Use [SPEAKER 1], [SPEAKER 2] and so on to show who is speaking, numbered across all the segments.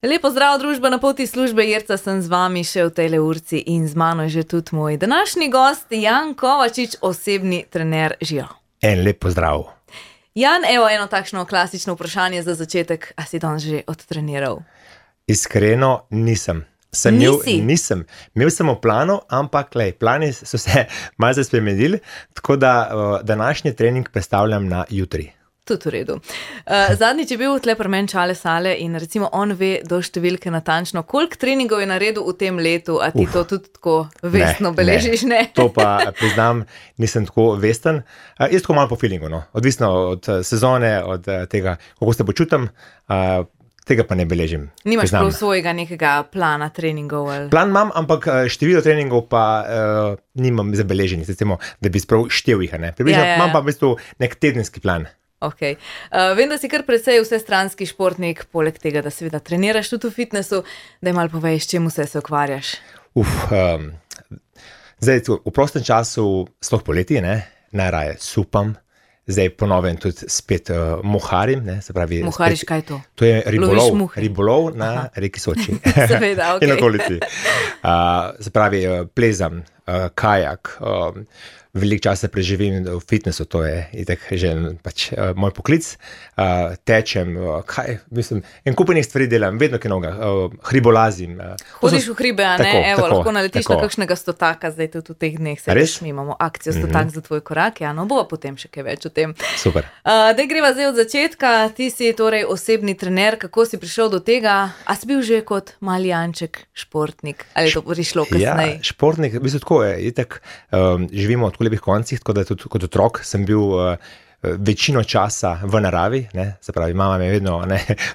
[SPEAKER 1] Lepo zdrav, družba na poti službe, Jerca sem z vami še v tejle urci in z mano je že tudi moj današnji gost, Jan Kovačič, osebni trener Žijo.
[SPEAKER 2] En lep pozdrav.
[SPEAKER 1] Jan, evo eno takšno klasično vprašanje za začetek, a si danes že odtreniral?
[SPEAKER 2] Iskreno nisem. Nisem. Imel sem v planu, ampak plani so se malce spremenili, tako da današnji trening predstavljam na jutri.
[SPEAKER 1] Tudi v redu. Zadnjič je bil tle pri meni Čale Sale in recimo on ve do številke natančno, koliko treningov je naredil v tem letu, a ti to tudi tako vestno beležiš, ne?
[SPEAKER 2] To pa priznam, nisem tako vesten. Jaz tako malo po feelingu, no. Odvisno od sezone, od tega, kako se počutim, tega pa ne beležim.
[SPEAKER 1] Nimaš prav svojega nekega plana treningov? Ali?
[SPEAKER 2] Plan imam, ampak število treningov pa nimam zabeleženih, recimo, da bi sprav štel jih, ne. Približno imam pa v bistvu nek tedenski plan.
[SPEAKER 1] Okay. Vem, da si kar precej vsestranski športnik, poleg tega, da seveda treniraš tudi v fitnessu, da malo poveš, čemu se ukvarjaš.
[SPEAKER 2] Zdaj, v prostem času, sploh poleti, najraje supam, zdaj ponovem tudi spet moharim. Se pravi,
[SPEAKER 1] mohariš, kaj je to?
[SPEAKER 2] To je ribolov na reki Soči.
[SPEAKER 1] Seveda,
[SPEAKER 2] in okolici. Se pravi, plezam, kajak, veliko časa preživim v fitnessu, to je itak že pač moj poklic. Tečem, en kupenih stvari delam, vedno kaj novega, hribolazim.
[SPEAKER 1] Hodiš v hribe, a ne? Evo, lahko naletiš na kakšnega stotaka, zdaj tudi v teh dneh se mi imamo akcijo stotak za tvoj korak, ja, no bova potem še kaj več o tem.
[SPEAKER 2] Super.
[SPEAKER 1] Daj greva zdaj od začetka, ti si torej osebni trener, kako si prišel do tega, a si bil že kot mali Janček športnik, ali je to prišlo kasneje?
[SPEAKER 2] Ja, športnik, v bistvu tako je, itak živimo od lepih koncih, tako da tudi kot otrok sem bil večino časa v naravi, se pravi, mama me je vedno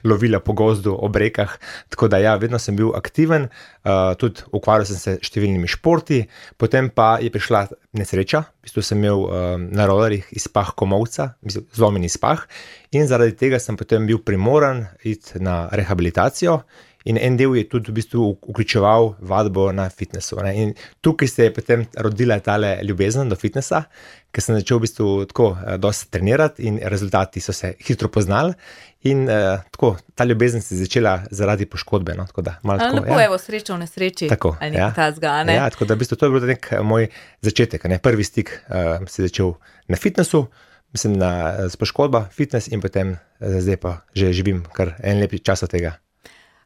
[SPEAKER 2] lovila po gozdu, ob rekah, tako da ja, vedno sem bil aktiven, tudi ukvarjal sem se številnimi športi, potem pa je prišla nesreča, v bistvu sem imel na rolerjih izpah komolca, zlomljen izpah in zaradi tega sem potem bil primoran iti na rehabilitacijo. In en del je tudi v bistvu vključeval vadbo na fitnessu. In tukaj se je potem rodila tale ljubezen do fitnessa, ker sem začel v bistvu tako dosti trenirati in rezultati so se hitro poznali. In tako, ta ljubezen se je začela zaradi poškodbe. No? Tako da,
[SPEAKER 1] lepo, evo, sreča v nesreči.
[SPEAKER 2] Tako,
[SPEAKER 1] ali nekaj tazga, ne?
[SPEAKER 2] Ja, tako da v bistvu to je bil nek moj začetek. Prvi stik se je začel na fitnessu, mislim s poškodba, fitness in potem zdaj pa že živim kar en lep čas od tega.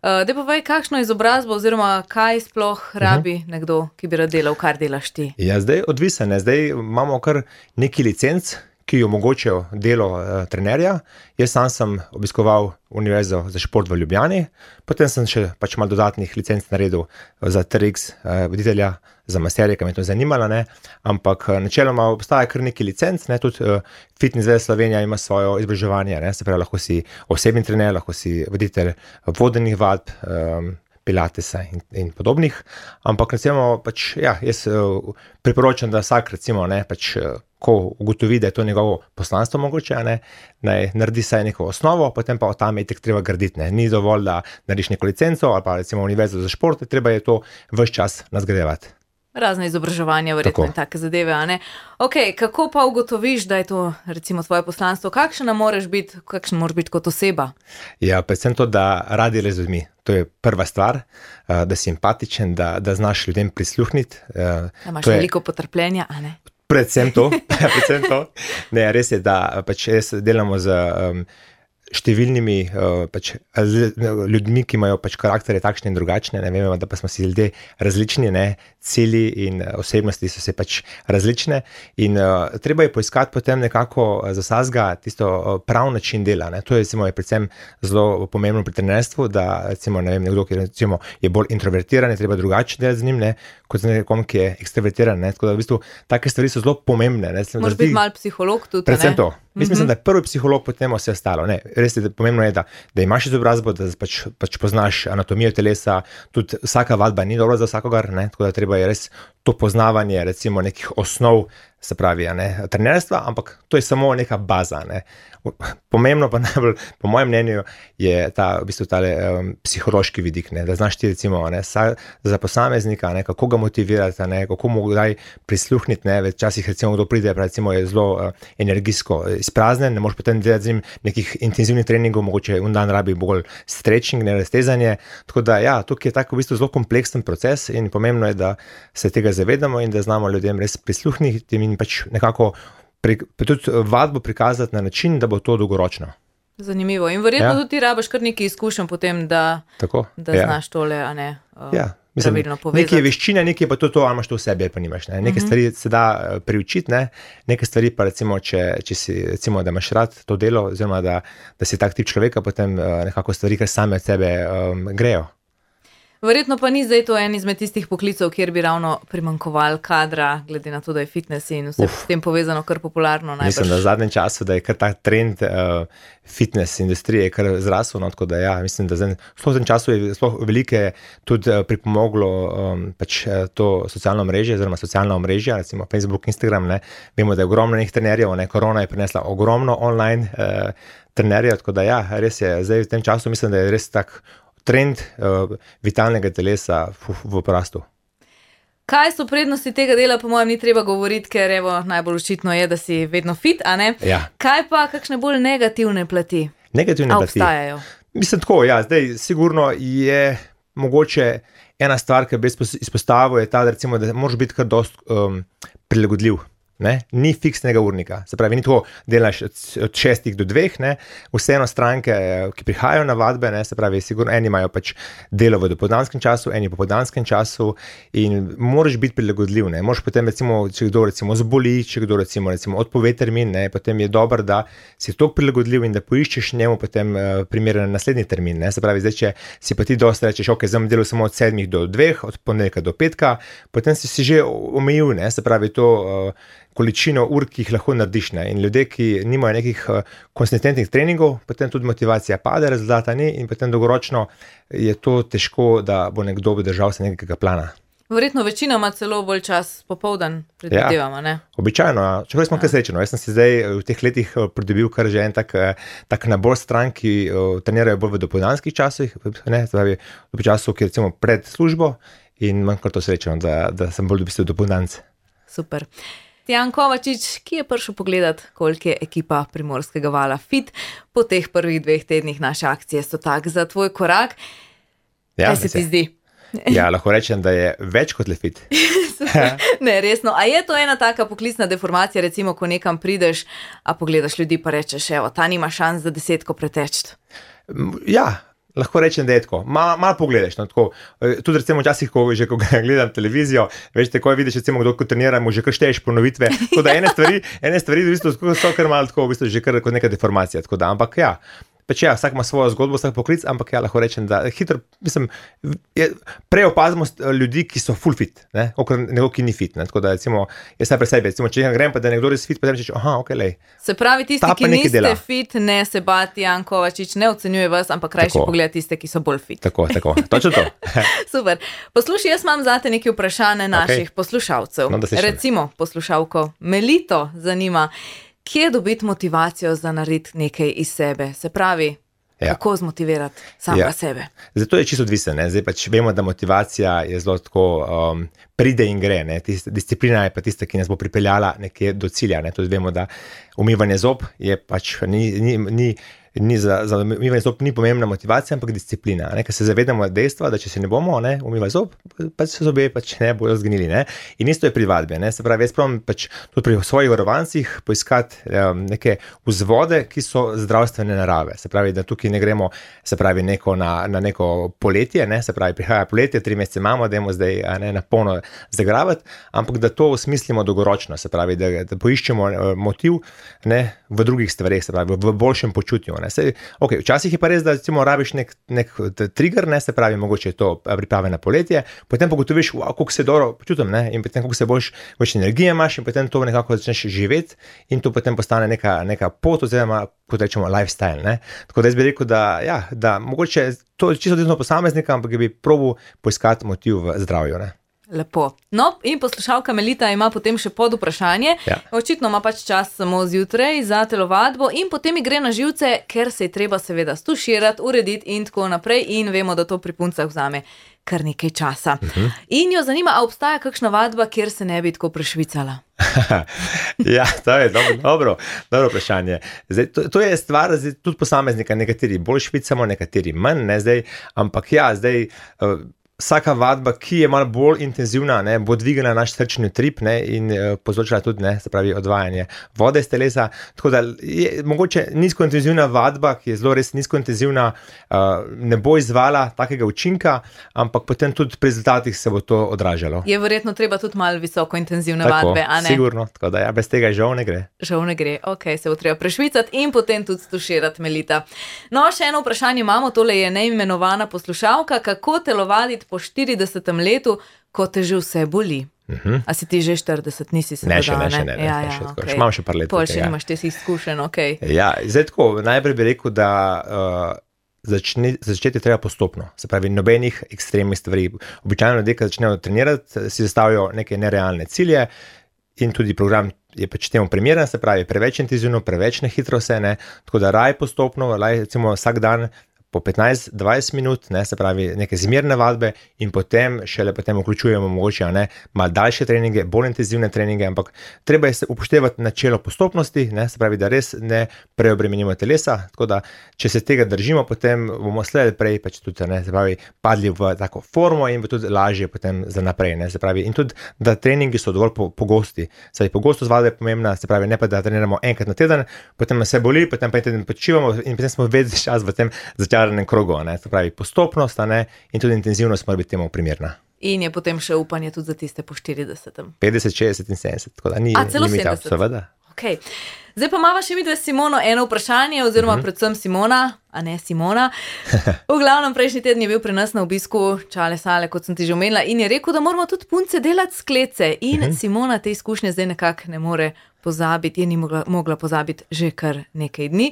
[SPEAKER 1] Daj povej, kakšno izobrazbo oziroma kaj sploh rabi nekdo, ki bi rad delal, kar delaš ti?
[SPEAKER 2] Ja, zdaj odvisen, zdaj imamo kar neki licenc, ki omogočajo delo trenerja. Jaz sam sem obiskoval Univerzo za šport v Ljubljani, potem sem še pač malo dodatnih licenc naredil za TRX voditelja, za masterje, ki me to zanimalo, ampak načeloma obstaja kar neki licenc, tudi Fitness Zveza Slovenija ima svojo izobraževanje, se pravi, lahko si osebni trener, lahko si voditelj vodenih vadb, pilatesa in podobnih, ampak recimo pač, ja, jaz priporočam, da vsak recimo, pač, ko ugotovi, da je to njegovo poslanstvo mogoče, naj naredi saj neko osnovo, potem pa od tam je treba graditi, Ni dovolj, da narediš neko licenco ali pa recimo Univerzo za šport, treba je to ves čas nadgrajevati.
[SPEAKER 1] Razne izobraževanja, verjetno in take zadeve, a ne? Ok, kako pa ugotoviš, da je to recimo tvoje poslanstvo? Kakšen moraš biti kot oseba?
[SPEAKER 2] Ja, predvsem to, da radi z ljudmi. To je prva stvar, da si empatičen, da znaš ljudem prisluhniti.
[SPEAKER 1] Da imaš veliko potrpljenja, a ne?
[SPEAKER 2] Predvsem to. Ne, res je, da pač jaz delamo z številnimi ljudmi, ki imajo pač karakterje takšne in drugačne, vemo, da pa smo si ljudje različni, cilji in osebnosti so se pač različne in treba je poiskati potem nekako za vsakega tisto prav način dela, To je recimo predvsem zelo pomembno pri trenerstvu, da recimo, nekdo, ki recimo je bolj introvertiran, je treba drugače delati z njim, kot z nekom, ki je ekstravertiran, tako da v bistvu take stvari so zelo pomembne.
[SPEAKER 1] Moraš biti malo psiholog tudi,
[SPEAKER 2] predvsem to. Mislim, da je prvi psiholog, potem vse ostalo. Res je, pomembno je, da imaš izobrazbo, da pač poznaš anatomijo telesa, tudi vsaka vadba ni dobra za vsakogar, tako da treba je res to poznavanje recimo nekih osnov se pravi, trenerstva, ampak to je samo neka baza. Pomembno pa najbolj, po mojem mnenju, je v bistvu tale psihološki vidik, da znaš ti recimo za posameznika, kako ga motivirati, kako mu daj prisluhniti, včasih recimo kdo pride, recimo je zelo energijsko izpraznen, ne moreš potem delati z njim nekih intenzivnih treningov, mogoče un dan rabi bolj stretching, raztezanje, tako da ja, tukaj je tako v bistvu zelo kompleksen proces in pomembno je, da se tega zavedamo in da znamo ljudem res prisluhniti in pač nekako tudi vadbo prikazati na način, da bo to dolgoročno.
[SPEAKER 1] Zanimivo. In verjetno tudi ti rabiš kar nekaj izkušenj potem, da znaš tole, a ne, pravilno povezati.
[SPEAKER 2] Nekaj je veščina, nekaj je pa to, ali imaš to v sebi, ali pa nimaš. Nekaj stvari se da priučiti, nekaj stvari pa recimo, če si, recimo, da imaš rad to delo, oziroma da si tak tip človeka, potem nekako stvari, kar same od sebe grejo.
[SPEAKER 1] Verjetno pa ni zdaj to en izmed tistih poklicov, kjer bi ravno primanjkovali kadra, glede na to, da je fitness in vse s tem povezano kar popularno. Najbrž.
[SPEAKER 2] Mislim, da v zadnjem času, da je kar ta trend fitness industrije kar zrasel, tako da ja, mislim, da v tem času je sploh velike tudi pripomoglo pač to socialno mreže, oziroma socialna omrežja, recimo Facebook, Instagram, vemo, da je ogromno nekih trenerjev, korona je prinesla ogromno online trenerjev, tako da ja, res je, zdaj v tem času mislim, da je res tak trend vitalnega telesa v porastu.
[SPEAKER 1] Kaj so prednosti tega dela, po mojem ni treba govoriti, ker evo, najbolj očitno je, da si vedno fit, a ne?
[SPEAKER 2] Ja.
[SPEAKER 1] Kaj pa kakšne bolj negativne plati?
[SPEAKER 2] Negativne plati?
[SPEAKER 1] Obstajajo?
[SPEAKER 2] Mislim tako, ja, zdaj sigurno je mogoče ena stvar, ki bi izpostavil, je ta, da recimo, da moraš biti kar dost prilagodljiv. Ni fiksnega urnika, se pravi, ni tako delaš od 6 do 2, vseeno stranke, ki prihajajo na vadbe, se pravi, sigurno eni imajo pač delo v dopoldanskem času, eni v popoldanskem času in moraš biti prilagodljiv, moraš potem recimo, če kdo recimo zboli, če kdo recimo odpove termin, potem je dobro, da si toliko prilagodljiv in da poiščeš njemu potem primeren naslednji termin, se pravi, zdaj, če si pa ti dosti rečeš, ok, zdaj delal samo od 7 do 2, od ponedeljka do petka, potem si že omejil, se pravi, to količino ur, ki jih lahko narediš. In ljudje, ki nimajo nekih konsistentnih treningov, potem tudi motivacija pade, rezultata ni in potem dolgoročno je to težko, da bo nekdo držal se nekega plana.
[SPEAKER 1] Verjetno večina ima celo bolj čas popoldan, predvidevamo, ne?
[SPEAKER 2] Običajno, čeprav smo kar srečni. Jaz sem si zdaj v teh letih pridobil kar že en tak nabor stran, ki trenirajo bolj v dopoldanskih časih, v času, ki recimo pred službo in manj kar to srečeno, da sem bolj v bistvu dopoldanc.
[SPEAKER 1] Super. Tijan Kovačič, ki je prišel pogledat, koliko je ekipa Primorskega vala fit po teh prvih 2 tednih naše akcije so tak za tvoj korak. Kaj se ti zdi?
[SPEAKER 2] Ja, lahko rečem, da je več kot le fit.
[SPEAKER 1] Ne, resno. A je to ena taka poklicna deformacija, recimo, ko nekam prideš, a pogledaš ljudi pa rečeš, evo, ta nima šans za 10 preteči?
[SPEAKER 2] Ja. Lahko rečem, da je tako. Malo pogledaš. Tako. Tudi recimo včasih, ko gledam televizijo, veš, tako vidiš, recimo, kdo ko trenira, mu že kar šteješ ponovitve. Tako da ene stvari v bistvu so kar malo tako, v bistvu že kar kot neka deformacija. Tako da, ampak ja, pač ja, vsak ima svojo zgodbo, vsak poklic, ampak ja, lahko rečem, da hitro, mislim, prej opazimo ljudi, ki so full fit, okrat nekdo, ki ni fit. Tako da, recimo, jaz sem pri sebi, recimo, če grem pa, da nekdo res fit, potem rečeš, aha, ok, lej.
[SPEAKER 1] Se pravi, tisti, ki niste fit, ne se bati, Tijan Kovačič ne ocenjuje vas, ampak rajši pogleda tiste, ki so bolj fit.
[SPEAKER 2] Tako, točno to.
[SPEAKER 1] Super. Poslušaj, jaz imam zate nekaj vprašanje naših poslušalcev.
[SPEAKER 2] No,
[SPEAKER 1] recimo, poslušalko Melito zanima, kje dobiti motivacijo za narediti nekaj iz sebe? Se pravi, kako zmotivirati samega sebe?
[SPEAKER 2] Zato je čisto odvisen. Zdaj pač vemo, da motivacija je zelo tako pride in gre. Disciplina je pa tista, ki nas bo pripeljala nekje do cilja. Tudi vemo, da umivanje zob je pač za umivanje zob ni pomembna motivacija, ampak disciplina. Ker se zavedamo dejstva, da če se ne bomo umivali zob, pač se zobje pač ne bojo zgnili. In isto je pri vadbi. Se pravi, jaz pravim pač tudi pri svojih varovancih poiskati neke vzvode, ki so zdravstvene narave. Se pravi, da tukaj ne gremo, se pravi, na neko poletje, se pravi, prihaja poletje, 3 mesece imamo, dajmo zdaj na polno zagravati, ampak da to osmislimo dolgoročno, se pravi, da poiščemo motiv v drugih stvareh, se pravi, v boljšem počutju. Okay, včasih je pa res, da recimo rabiš nek trigger, se pravi, mogoče je to priprave na poletje, potem pogotoviš, koliko se dobro počutim, in potem koliko se boljš energije imaš in potem to nekako začneš živeti in to potem postane neka pot oziroma, kot rečemo, lifestyle. Tako da jaz bi rekel, da mogoče to je čisto odvisno posameznika, ampak bi probal poiskati motiv v zdravju.
[SPEAKER 1] Lepo. No, in poslušalka Melita ima potem še pod vprašanje.
[SPEAKER 2] Ja.
[SPEAKER 1] Očitno ima pač čas samo zjutraj za telovadbo in potem gre na živce, ker se je treba seveda stuširati, urediti in tako naprej in vemo, da to pri puncah vzame kar nekaj časa. In jo zanima, a obstaja kakšna vadba, kjer se ne bi tako prešvicala?
[SPEAKER 2] Ja, to je dobro vprašanje. Zdaj, to je stvar tudi posameznika, nekateri bolj švicamo, nekateri manj, ne, zdaj, ampak ja, zdaj vsaka vadba, ki je malo bolj intenzivna, ne, bo dvigala naš srčni utrip, ne, in povzročila tudi, ne, se pravi, odvajanje vode iz telesa. Tako da je mogoče nizkointenzivna vadba, ki je zelo res nizkointenzivna, ne bo izvala takega učinka, ampak potem tudi pri rezultatih se bo to odražalo.
[SPEAKER 1] Je verjetno treba tudi malo visokointenzivne vadbe, a ne?
[SPEAKER 2] Sigurno, tako da ja, bez tega žal ne gre.
[SPEAKER 1] Žal ne gre, ok, se bo treba prešvicati in potem tudi stuširati, Melita. No, še eno vprašanje imamo, tole je neimenovana poslušalka, kako telovaditi po 40. letu, ko te že vse boli. A si ti že 40, nisi se
[SPEAKER 2] še ne.
[SPEAKER 1] Okay.
[SPEAKER 2] Imam še par let.
[SPEAKER 1] Pol še nimaš te si izkušen, ok.
[SPEAKER 2] Ja, zdaj tako, najprej bi rekel, da začeti treba postopno. Se pravi, nobenih ekstremnih stvari. Običajno ljudje, ki začnejo trenirati, si zastavijo neke nerealne cilje in tudi program je pač temu primeren, se pravi, preveč intenzivno, preveč nehitro se, ne. Tako da raj postopno, recimo vsak dan po 15-20 minut, ne, se pravi neke zmerne vadbe in potem vključujemo mogoče malo daljše treninge, bolj intenzivne treninge, ampak treba je upoštevati načelo postopnosti, ne, se pravi, da res ne preobremenimo telesa, tako da če se tega držimo, potem bomo slej prej pač tudi, ne, se pravi, padli v tako formo in bo tudi lažje potem za naprej, ne, se pravi, in tudi, da treningi so dovolj pogosti, se pravi, pogostost vadbe je pomembna, se pravi, ne pa da treniramo enkrat na teden, potem nas se boli, potem pa en teden počivamo in potem smo vedno čas v tem krogu, ne, se pravi postopnost, ne, in tudi intenzivnost mora biti temu primerna.
[SPEAKER 1] In je potem še upanje tudi za tiste po 40.
[SPEAKER 2] 50, 60 in 70, tako da ni
[SPEAKER 1] celo
[SPEAKER 2] limita,
[SPEAKER 1] 70.
[SPEAKER 2] seveda.
[SPEAKER 1] Okay. Zdaj pa imamo še midve s Simono eno vprašanje, oziroma predvsem Simona, a ne Simona. V glavnem prejšnji teden je bil pri nas na obisku Čale Sale, kot sem ti že omenila, in je rekel, da moramo tudi punce delati sklece. In Simona te izkušnje zdaj nekako ne more pozabiti, je ni mogla pozabiti že kar nekaj dni.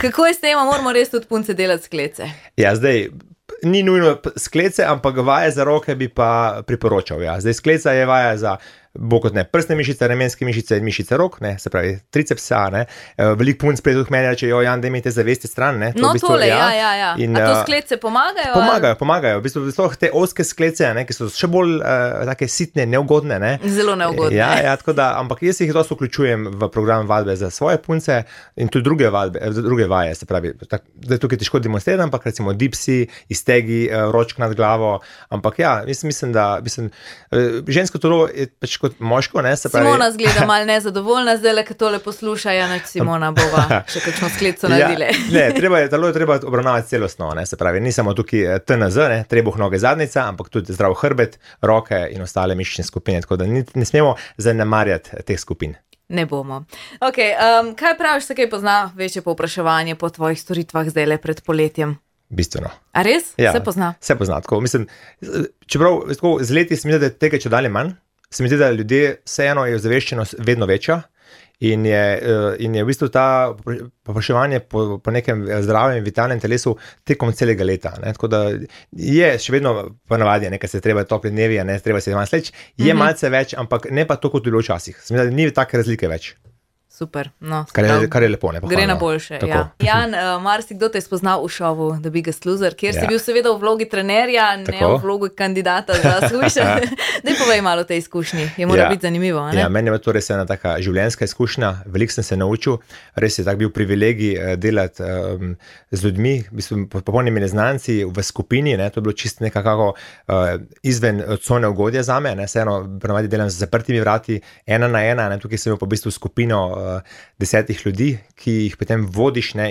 [SPEAKER 1] Kako je s tem, moramo res tudi punce delati sklece?
[SPEAKER 2] Ja, zdaj ni nujno sklece, ampak vaje za roke bi pa priporočal. Ja. Zdaj skleca je vaja za bo kot ne prsne mišice, ramenske mišice in mišice rok, ne, se pravi tricepsa, ne. Veliko punc prej tudi meni reče, Jan, da imate zavesti stran, ne.
[SPEAKER 1] No, v bistvu, tole, ja. In, a to sklece pomagajo?
[SPEAKER 2] Pomagajo. V bistvu te ozke sklece, ne, ki so še bolj take sitne, neugodne, ne.
[SPEAKER 1] Zelo neugodne.
[SPEAKER 2] Ja, tako da, ampak jaz jih dosti vključujem v program vadbe za svoje punce in tudi druge vaje, se pravi, zdaj tukaj težko demonstriram, ampak recimo dipsi, iztegi, ročk nad glavo, ampak ja, mislim, da žensko telo je pač kot moško, ne, se pravi.
[SPEAKER 1] Simona zgleda malo nezadovoljna, zdaj ko tole posluša, Simona bova še kakšno skleco naredile.
[SPEAKER 2] Ne, telo je treba obravnavati celostno, ne, se pravi, ni samo tukaj TNZ, ne, trebuh, noge, zadnjica, ampak tudi zdrav hrbet, roke in ostale mišične skupine, tako da ne smemo zanemarjati teh skupin.
[SPEAKER 1] Ne bomo. Ok, kaj praviš, se kaj pozna večje povpraševanje po tvojih storitvah zdaj le pred poletjem?
[SPEAKER 2] Bistveno.
[SPEAKER 1] A res?
[SPEAKER 2] Ja,
[SPEAKER 1] se pozna?
[SPEAKER 2] Se pozna, tako, mislim, čeprav tako, z leti se mi zdi, da je tega čedalje manj, se mi zdi, da ljudje vseeno je ozaveščenost vedno večja in je v bistvu ta povpraševanje po nekem zdravem in vitalnem telesu tekom celega leta, ne, tako da je še vedno ponavadi, nekaj se treba topli dnevi, ne, treba se vam sleč, je malce več, ampak ne pa to, kot je bilo včasih. Se mi zdi, da ni take razlike več.
[SPEAKER 1] Super, no.
[SPEAKER 2] Kar je lepo, ne, pohvalno.
[SPEAKER 1] Gre na boljše, ja. Jan, marsikdo te je spoznal v šovu The Biggest Loser, kjer si bil seveda v vlogi trenerja, ne v vlogi kandidata za slušanje. Daj povej malo o tej izkušnji, je mora biti zanimivo, ne?
[SPEAKER 2] Ja, meni je to res ena taka življenjska izkušnja, veliko sem se naučil, res je tak bil privilegij delati z ljudmi, v bistvu popolnimi neznanci v skupini, ne, to je bilo čisto nekako izven cone ugodja zame, ne, vseeno ponavadi delam z zaprtimi vrati, ena na ena, ne, tukaj sem imel pa v bistvu skupino 10 ljudi, ki jih potem vodiš, ne,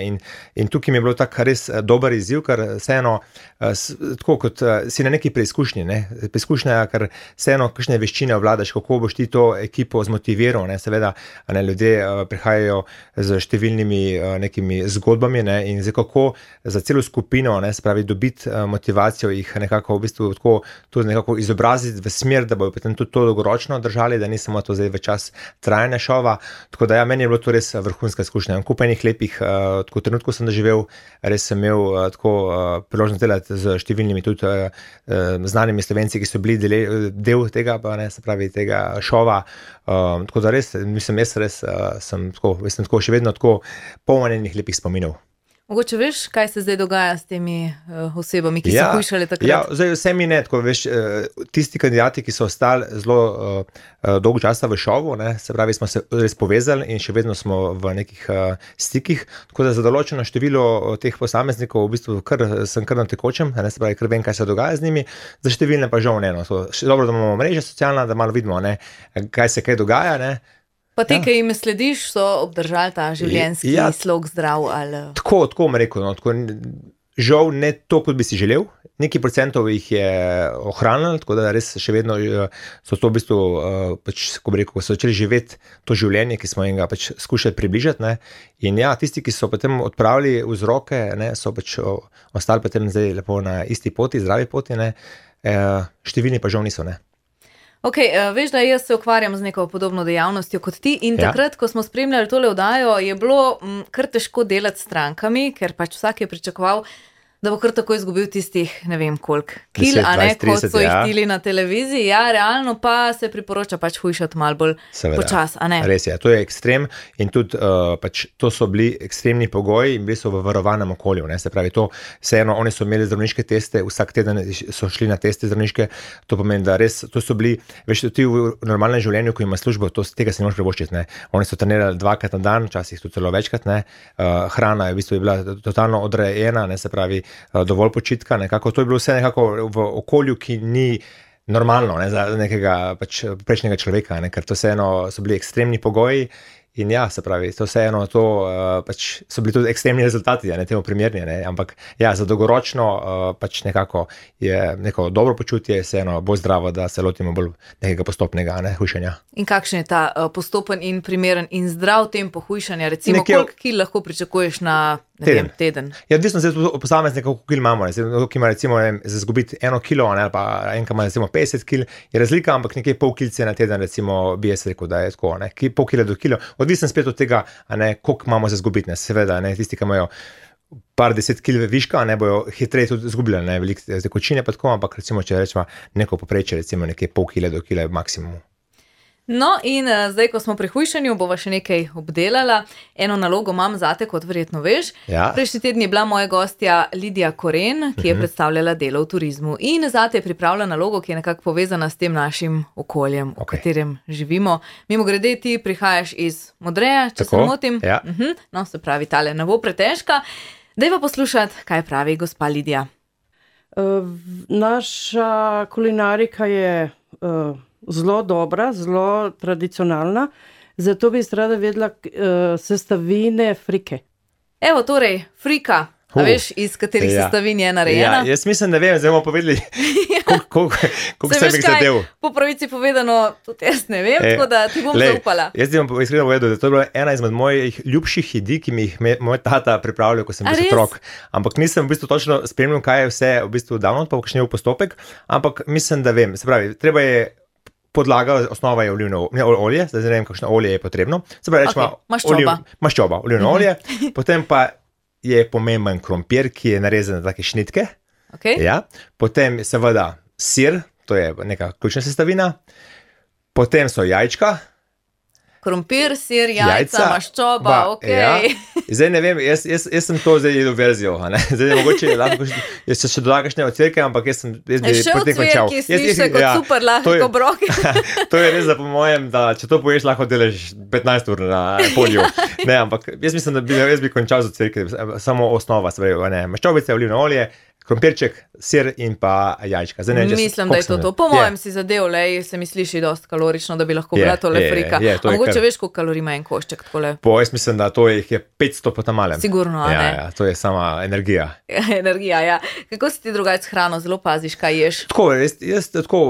[SPEAKER 2] in tukaj mi je bilo tako res dober izziv, ker vseeno tako kot si na neki preizkušnji, ne, preizkušnja, ker vseeno kakšne veščine ovladaš, kako boš ti to ekipo zmotiviral, ne, seveda, ne, ljudje prihajajo z številnimi nekimi zgodbami, ne, in zdaj kako za celo skupino, ne, se pravi, dobiti motivacijo, jih nekako v bistvu tako tudi nekako izobraziti v smer, da bojo potem tudi to dolgoročno držali, da ni samo to zdaj v čas trajanja šova, tako da ja, meni je bilo to res vrhunska izkušnja. Kup enih lepih trenutkov sem doživel, res sem imel tako priložnost delati z številnimi tudi znanimi Slovenci, ki so bili del tega, pa ne, se pravi, tega šova. Tako da res, mislim, jaz sem tako še vedno tako poln enih lepih spominov.
[SPEAKER 1] Mogoče veš, kaj se zdaj dogaja s temi osebami, ki so hujšali takrat?
[SPEAKER 2] Ja, zdaj vse mi ne, tako veš, tisti kandidati, ki so ostali zelo dolgo časa v šovu, ne, se pravi, smo se res povezali in še vedno smo v nekih stikih, tako da za določeno število teh posameznikov v bistvu sem kar na tekočem, ne, se pravi, kar vem, kaj se dogaja z njimi, za številne pa žal ne. No. Dobro, da imamo mreže socialna, da malo vidimo, ne, kaj se dogaja, ne.
[SPEAKER 1] Pa te, ki jim slediš, so obdržali ta življenjski slog zdrav? Ali...
[SPEAKER 2] Tako bom rekel, no, tako, žal ne to, kot bi si želel. Nekaj procentov jih je ohranil, tako da res še vedno so to v bistvu, pač, ko bi rekel, so začeli živeti to življenje, ki smo jim ga pač skušali približati. Ne. In ja, tisti, ki so potem odpravili vzroke, ne, so pač ostali potem zdaj lepo na isti poti, zdravi poti, ne. Številni pa žal niso, ne.
[SPEAKER 1] Ok, veš, da jaz se ukvarjam z neko podobno dejavnostjo kot ti in takrat, ko smo spremljali tole oddajo, je bilo kar težko delati s strankami, ker pač vsak je pričakoval, da bo kar tako izgubil tistih, ne vem koliko kil, 10, 20, 30, kot so jih tili na televiziji. Ja, realno pa se priporoča pač hujšati malo bolj počas, a ne?
[SPEAKER 2] Res je, to je ekstrem in tudi pač to so bili ekstremni pogoji in bili so v varovanem okolju, ne? Se pravi, to vseeno, oni so imeli zdravniške teste, vsak teden so šli na teste zdravniške, to pomeni, da res, to so bili, veš, ti v normalnem življenju, ko ima službo, tega se ne moš privoščiti, ne? Oni so trenirali 2krat na dan, včasih tudi celo večkrat, ne? Hrana je v bistvu bila totalno odrejena, ne? Se pravi, dovolj počitka, nekako to je bilo vse nekako v okolju, ki ni normalno, ne, za nekega pač prejšnjega človeka, ne, ker to vseeno so bili ekstremni pogoji in ja, se pravi, to vseeno to pač so bili tudi ekstremni rezultati, ne, temu primerni, ne, ampak ja, za dolgoročno pač nekako je neko dobro počutje, vseeno bolj zdravo, da se lotimo bolj nekega postopnega, ne, hujšanja.
[SPEAKER 1] In kakšen je ta postopen in primeren in zdrav tempo hujšanja, recimo koliko kil lahko pričakuješ na teden?
[SPEAKER 2] Ja, odvisno se od posameznika, koliko kil imamo, ki ima recimo za izgubiti 1 kilo, ne, pa enka ima recimo 50 kil, je razlika, ampak nekje pol kilce na teden, recimo bi jaz rekel, da je tako, ne, pol kila do kilo, odvisno spet od tega, ne, koliko imamo za izgubiti, ne, seveda, ne, tisti, ki imajo par 10 kil viška, ne, bojo hitreje tudi izgubljali, ne, velike tekočine pa tako, ampak recimo, če rečemo neko poprečje, recimo nekje pol kila do kila maksimum.
[SPEAKER 1] No in zdaj, ko smo pri hujšanju, bova še nekaj obdelala. Eno nalogo imam zate, kot verjetno veš.
[SPEAKER 2] Ja.
[SPEAKER 1] Prejšnji teden je bila moja gostja Lidija Koren, ki je predstavljala delo v turizmu. In zate je pripravila nalogo, ki je nekako povezana s tem našim okoljem, v katerem živimo. Mimogrede, ti prihajaš iz Modreja, če se ne motim.
[SPEAKER 2] Ja.
[SPEAKER 1] No, se pravi, tale ne bo pretežka. Dajva poslušati, kaj pravi gospa Lidija.
[SPEAKER 3] Naša kulinarika je zelo dobra, zelo tradicionalna, zato bi rada vedela sestavine frike.
[SPEAKER 1] Evo torej, frika, a veš, iz katerih sestavin je narejena?
[SPEAKER 2] Ja, jaz mislim, da vem, zdaj bomo povedali, koliko se bi zadev.
[SPEAKER 1] Po pravici povedano, tudi jaz ne vem, tako da ti bom zaupala.
[SPEAKER 2] Jaz ti bom iskreno povedal, da to je bila ena izmed mojih ljubših jedi, ki mi jih moj tata pripravljal, ko sem bil otrok. Ampak nisem v bistvu točno spremljal, kaj je vse v bistvu davno, pa kakšen je postopek, ampak mislim, da vem. Se pravi, treba je podlaga, osnova je olivno olje, zdaj ne vem, kakšno olje je potrebno. Se pravi, rečemo maščoba, olivno olje, potem pa je pomemben krompir, ki je narezan na take šnitke. Ja. Potem seveda sir, to je neka ključna sestavina. Potem so jajčka.
[SPEAKER 1] Krompir, sir, jajca, maščoba,
[SPEAKER 2] Ja. Zdaj ne vem, jaz sem to zdaj jedel verzijo, ne? Zdaj mogoče lahko, jaz se še dodal kakšne ocvirke, ampak jaz bi
[SPEAKER 1] še ocvirki, sliši kot super lahko obrok.
[SPEAKER 2] To je res, da po mojem, da če to poješ, lahko delaš 15 ur na polju. Ne, ampak jaz mislim, da jaz bi končal z ocvirke, samo osnova, se pravi, ne, maščobice, olivno olje, krompirček, sir in pa jajčka. Zdaj,
[SPEAKER 1] mislim, da je to. Po mojem si zadev, se mi sliši dosti kalorično, da bi lahko bila tole frika. A mogoče veš, koliko kalorij ima en košček takole?
[SPEAKER 2] Jaz mislim, da to je 500 po tamalem.
[SPEAKER 1] Sigurno, a ne?
[SPEAKER 2] Ja, to je sama energija.
[SPEAKER 1] Energija, ja. Kako si ti drugače s hrano, zelo paziš, kaj ješ?
[SPEAKER 2] Tako, jaz tako,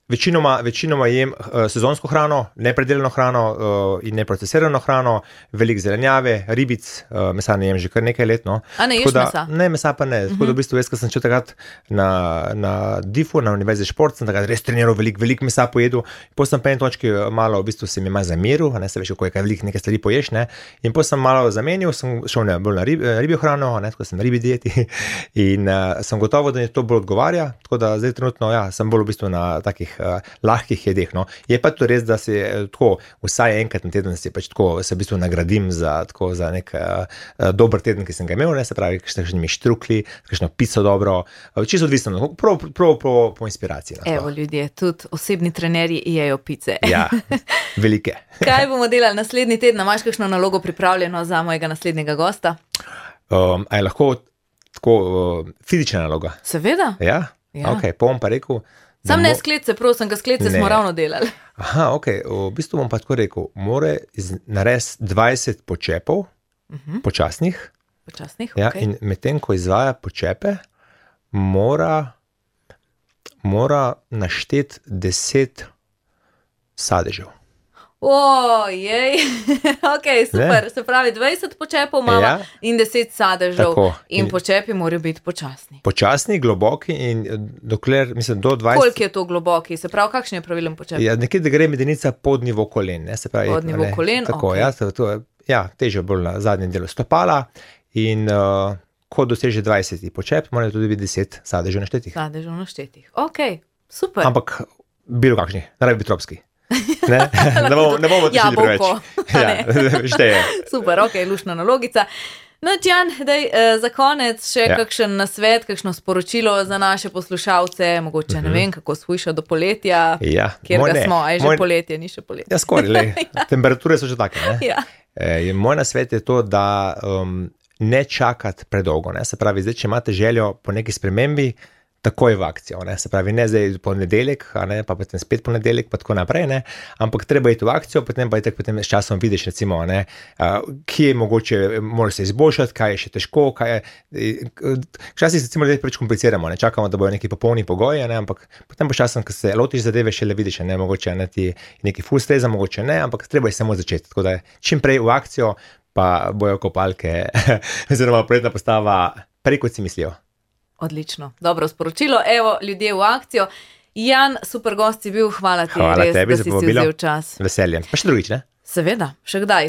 [SPEAKER 2] Večinoma jem sezonsko hrano, nepredelano hrano in neprocesirano hrano, veliko zelenjave, ribic, mesa ne jem že kar nekaj let. No.
[SPEAKER 1] A ne ješ mesa?
[SPEAKER 2] Ne, mesa pa ne. Tako da v bistvu jaz, ko sem šel takrat na DIF-u, na Univerzi šport, sem takrat res treniral, veliko mesa pojedel. Potem sem pa en točki malo, v bistvu se mi malo zameril, ne se veš, kako je kaj veliko nekaj stvari poješ, ne. In potem sem malo zamenil, sem šel bolj na ribjo hrano, ne, tako sem ribi dieti in sem gotovo, da mi to bolj odgovarja, tako da zdaj trenutno, ja, sem bolj v bistvu na takih lahkih jedeh, no. Je pa to res, da si tako vsaj enkrat na teden si pač tako se v bistvu nagradim za nek dober teden, ki sem ga imel, ne, se pravi, kakšnimi štrukli, kakšno pico dobro, čisto odvisno, prav po inspiraciji.
[SPEAKER 1] Evo ljudje, tudi osebni trenerji jejo pice.
[SPEAKER 2] Ja, velike.
[SPEAKER 1] Kaj bomo delali naslednji teden? Imaš kakšno nalogo pripravljeno za mojega naslednjega gosta?
[SPEAKER 2] A je lahko tako fizična naloga?
[SPEAKER 1] Seveda.
[SPEAKER 2] Ja? Ok, bom pa rekel.
[SPEAKER 1] Sam ne sklece, prosim, sklece smo ravno delali.
[SPEAKER 2] Aha, ok, v bistvu bom pa tako rekel, mora narediti 20 počepov, počasnih.
[SPEAKER 1] Počasnih,
[SPEAKER 2] ja,
[SPEAKER 1] ok.
[SPEAKER 2] in medtem, ko izvaja počepe, mora našteti 10 sadežev.
[SPEAKER 1] Ojej, ok, super, ne? Se pravi 20 počepov imamo in 10 sadežev. Tako. In počepi morajo biti počasni.
[SPEAKER 2] Počasni, globoki in dokler, mislim, do 20...
[SPEAKER 1] Koliko je to globoki? Se pravi, kakšen je pravilen počep?
[SPEAKER 2] Ja, nekje, da gre medenica pod nivo kolen. Ne? Se pravi,
[SPEAKER 1] pod nivo kolen,
[SPEAKER 2] tako,
[SPEAKER 1] ok.
[SPEAKER 2] Težje bolj na zadnjem delu stopala in ko doseže 20 počep, morajo tudi biti 10 sadežev naštetih.
[SPEAKER 1] Sadežev naštetih, ok, super.
[SPEAKER 2] Ampak bilo kakšni, naravi biti tropski. Ne bomo tišili preveč. Šteje.
[SPEAKER 1] Super, ok, lušna nalogica. No, Tjan, za konec še kakšen nasvet, kakšno sporočilo za naše poslušalce, mogoče ne vem, kako shujša do poletja, kjer ga smo, a je že poletje, ni še poletje.
[SPEAKER 2] Ja, skoraj, temperature so že take. Moj nasvet je to, da ne čakati predolgo. Se pravi, zdaj, če imate željo po neki spremembi, takoj v akcijo, ne? Se pravi, ne zdaj ponedeljek, pa potem spet ponedeljek, pa tako naprej, ne? Ampak treba iti v akcijo, potem pa potem s časom vidiš, recimo, ne? Kje mogoče moraš se izboljšati, kaj je še težko, včasih se recimo preveč kompliciramo, ne? Čakamo, da bojo neki popolni pogoji, ne? Ampak potem po časom, ko se lotiš zadeve, šele vidiš, ne? Mogoče ti neki ful streza, mogoče ne, ampak treba je samo začeti, tako da čim prej v akcijo, pa bojo kopalke oziroma poletna postava prej, kot si mislijo.
[SPEAKER 1] Odlično, dobro sporočilo. Evo, ljudje v akcijo. Jan, super gost si bil, hvala ti, res,
[SPEAKER 2] tebi,
[SPEAKER 1] da si vzel čas.
[SPEAKER 2] Veseljem. Pa še drugič, ne?
[SPEAKER 1] Seveda, še kdaj.